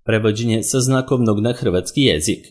Prevođenje sa znakovnog na hrvatski jezik.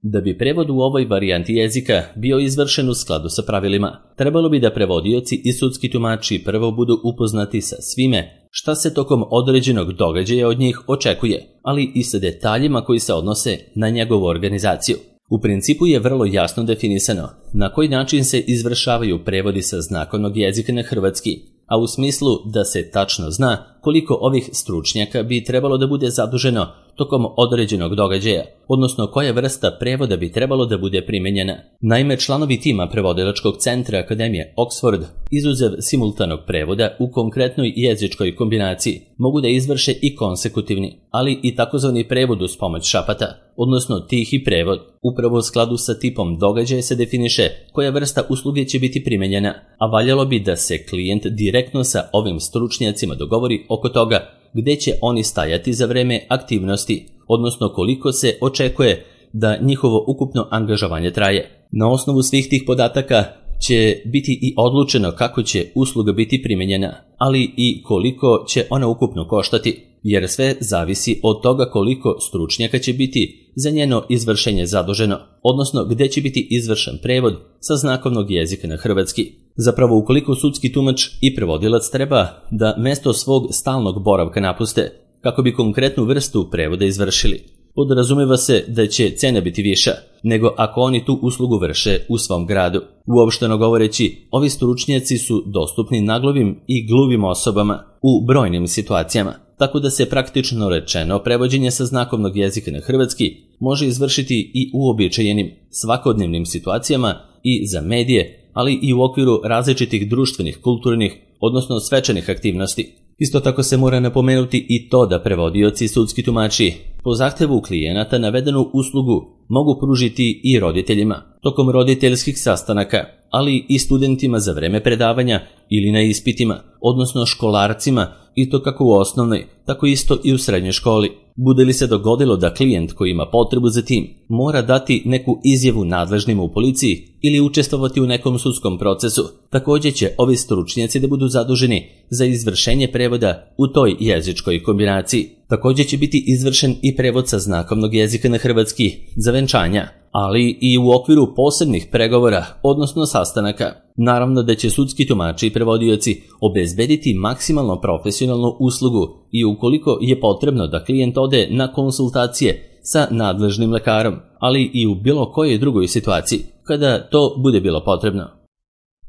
Da bi prevod u ovoj varijanti jezika bio izvršen u skladu sa pravilima, trebalo bi da prevodioci i sudski tumači prvo budu upoznati sa svime šta se tokom određenog događaja od njih očekuje, ali i sa detaljima koji se odnose na njegovu organizaciju. U principu je vrlo jasno definisano na koji način se izvršavaju prevodi sa znakovnog jezika na hrvatski, a u smislu da se tačno zna koliko ovih stručnjaka bi trebalo da bude zaduženo tokom određenog događaja, odnosno koja vrsta prevoda bi trebalo da bude primenjena. Naime, članovi tima prevodilačkog centra Akademije Oxford, izuzev simultanog prevoda u konkretnoj jezičkoj kombinaciji, mogu da izvrše i konsekutivni, ali i takozvani prevod uz pomoć šapata, odnosno tihi prevod. Upravo u skladu sa tipom događaja se definiše koja vrsta usluge će biti primenjena, a valjalo bi da se klijent direktno sa ovim stručnjacima dogovori oko toga gde će oni stajati za vreme aktivnosti, odnosno koliko se očekuje da njihovo ukupno angažovanje traje. Na osnovu svih tih podataka će biti i odlučeno kako će usluga biti primenjena, ali i koliko će ona ukupno koštati, jer sve zavisi od toga koliko stručnjaka će biti za njeno izvršenje zaduženo, odnosno gde će biti izvršen prevod sa znakovnog jezika na hrvatski. Zapravo, ukoliko sudski tumač i prevodilac treba da mesto svog stalnog boravka napuste kako bi konkretnu vrstu prevoda izvršili, podrazumeva se da će cena biti viša nego ako oni tu uslugu vrše u svom gradu. Uopšteno govoreći, ovi stručnjaci su dostupni naglovim i gluvim osobama u brojnim situacijama, tako da se praktično rečeno prevođenje sa znakovnog jezika na hrvatski može izvršiti i u uobičajenim svakodnevnim situacijama i za medije, ali i u okviru različitih društvenih, kulturnih, odnosno svečanih aktivnosti. Isto tako se mora napomenuti i to da prevodioci i sudski tumači po zahtevu klijenata navedenu uslugu mogu pružiti i roditeljima tokom roditeljskih sastanaka, ali i studentima za vreme predavanja ili na ispitima, odnosno školarcima, i to kako u osnovnoj, tako isto i u srednjoj školi. Bude li se dogodilo da klijent koji ima potrebu za tim mora dati neku izjavu nadležnima u policiji ili učestvovati u nekom sudskom procesu, također će ovi stručnjaci da budu zaduženi za izvršenje prevoda u toj jezičkoj kombinaciji. Također će biti izvršen i prevod sa znakovnog jezika na hrvatski za venčanja, ali i u okviru posebnih pregovora, odnosno sastanaka. Naravno da će sudski tumači i prevodioci obezbediti maksimalno profesionalnu uslugu i ukoliko je potrebno da klijent ode na konsultacije sa nadležnim lekarom, ali i u bilo kojoj drugoj situaciji, kada to bude bilo potrebno.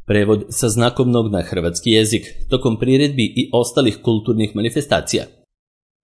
Prevod sa znakovnog na hrvatski jezik tokom priredbi i ostalih kulturnih manifestacija.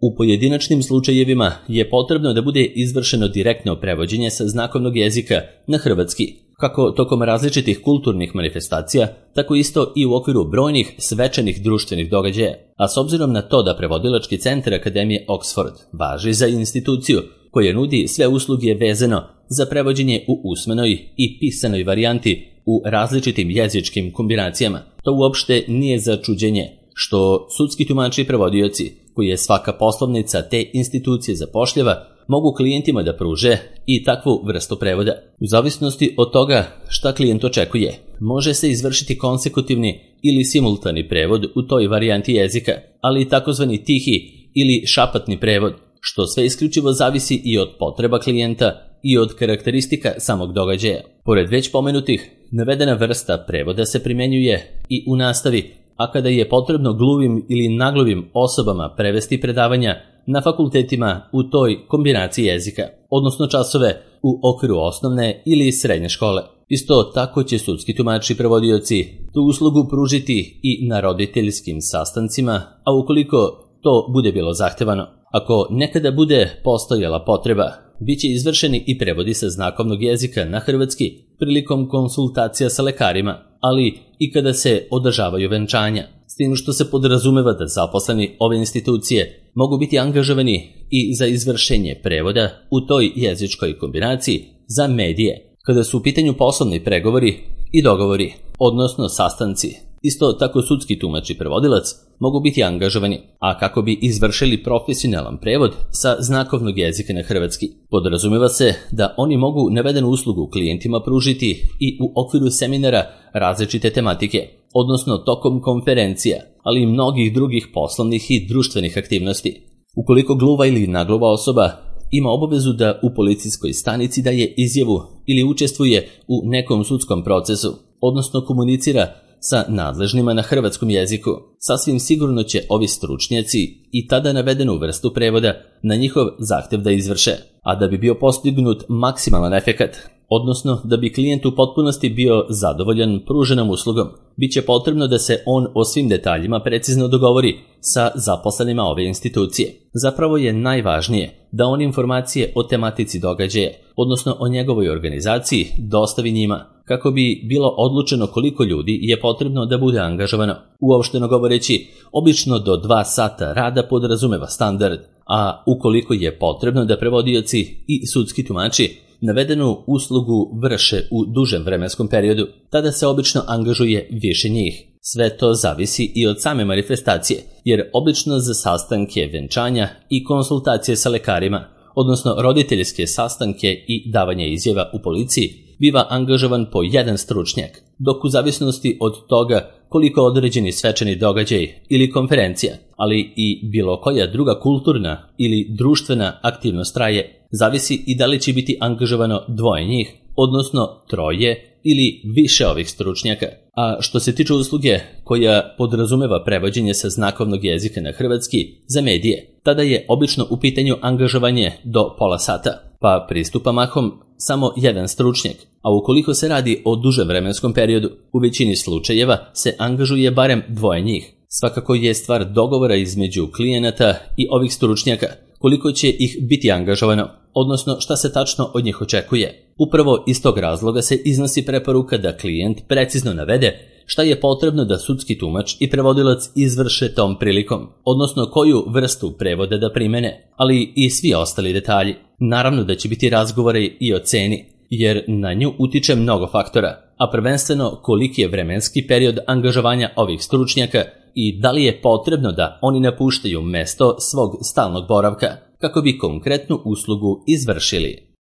U pojedinačnim slučajevima je potrebno da bude izvršeno direktno prevođenje sa znakovnog jezika na hrvatski, kako tokom različitih kulturnih manifestacija, tako isto i u okviru brojnih svečanih društvenih događaja. A s obzirom na to da prevodilački centar Akademije Oxford važi za instituciju koja nudi sve usluge vezano za prevođenje u usmenoj i pisanoj varijanti u različitim jezičkim kombinacijama, to uopšte nije za čuđenje što sudski tumači i prevodioci, koji je svaka poslovnica te institucije zapošljava, mogu klijentima da pruže i takvu vrstu prevoda. U zavisnosti od toga šta klijent očekuje, može se izvršiti konsekutivni ili simultani prevod u toj varijanti jezika, ali i takozvani tihi ili šapatni prevod, što sve isključivo zavisi i od potreba klijenta i od karakteristika samog događaja. Pored već pomenutih, navedena vrsta prevoda se primjenjuje i u nastavi, a kada je potrebno gluvim ili nagluvim osobama prevesti predavanja na fakultetima u toj kombinaciji jezika, odnosno časove u okviru osnovne ili srednje škole. Isto tako će sudski tumači i prevodioci tu uslugu pružiti i na roditeljskim sastancima, a ukoliko to bude bilo zahtevano. Ako nekada bude postojala potreba, bit će izvršeni i prevodi sa znakovnog jezika na hrvatski prilikom konsultacija sa lekarima, ali i kada se održavaju venčanja, s tim što se podrazumeva da zaposleni ove institucije mogu biti angažovani i za izvršenje prevoda u toj jezičkoj kombinaciji za medije, kada su u pitanju poslovni pregovori i dogovori, odnosno sastanci. Isto tako sudski tumač i prevodilac mogu biti angažovani, a kako bi izvršili profesionalan prevod sa znakovnog jezika na hrvatski. Podrazumeva se da oni mogu navedenu uslugu klijentima pružiti i u okviru seminara različite tematike, odnosno tokom konferencija, ali i mnogih drugih poslovnih i društvenih aktivnosti. Ukoliko gluva ili nagluva osoba ima obavezu da u policijskoj stanici daje izjavu ili učestvuje u nekom sudskom procesu, odnosno komunicira sa nadležnima na hrvatskom jeziku, sasvim sigurno će ovi stručnjaci i tada navedenu vrstu prevoda na njihov zahtev da izvrše, a da bi bio postignut maksimalan efekat, odnosno da bi klijent u potpunosti bio zadovoljan pruženom uslugom, bit će potrebno da se on o svim detaljima precizno dogovori sa zaposlenima ove institucije. Zapravo je najvažnije da on informacije o tematici događaja, odnosno o njegovoj organizaciji, dostavi njima, kako bi bilo odlučeno koliko ljudi je potrebno da bude angažovano. Uopšteno govoreći, obično do 2 sata rada podrazumeva standard, a ukoliko je potrebno da prevodioci i sudski tumači navedenu uslugu vrše u dužem vremenskom periodu, tada se obično angažuje više njih. Sve to zavisi i od same manifestacije, jer obično za sastanke venčanja i konsultacije sa lekarima, odnosno roditeljske sastanke i davanje izjava u policiji, biva angažovan po jedan stručnjak, dok u zavisnosti od toga koliko određeni svečani događaj ili konferencija, ali i bilo koja druga kulturna ili društvena aktivnost traje, zavisi i da li će biti angažovano 2 njih, odnosno 3 ili više ovih stručnjaka. A što se tiče usluge koja podrazumeva prevođenje sa znakovnog jezika na hrvatski za medije, tada je obično u pitanju angažovanje do pola sata, pa pristupa mahom samo jedan stručnjak, a ukoliko se radi o dužem vremenskom periodu, u većini slučajeva se angažuje barem 2 njih. Svakako je stvar dogovora između klijenata i ovih stručnjaka, koliko će ih biti angažovano, odnosno šta se tačno od njih očekuje. Upravo iz tog razloga se iznosi preporuka da klijent precizno navede šta je potrebno da sudski tumač i prevodilac izvrše tom prilikom, odnosno koju vrstu prevoda da primene, ali i svi ostali detalji. Naravno da će biti razgovori i o ceni, jer na nju utiče mnogo faktora, a prvenstveno koliki je vremenski period angažovanja ovih stručnjaka i da li je potrebno da oni napuštaju mesto svog stalnog boravka kako bi konkretnu uslugu izvršili.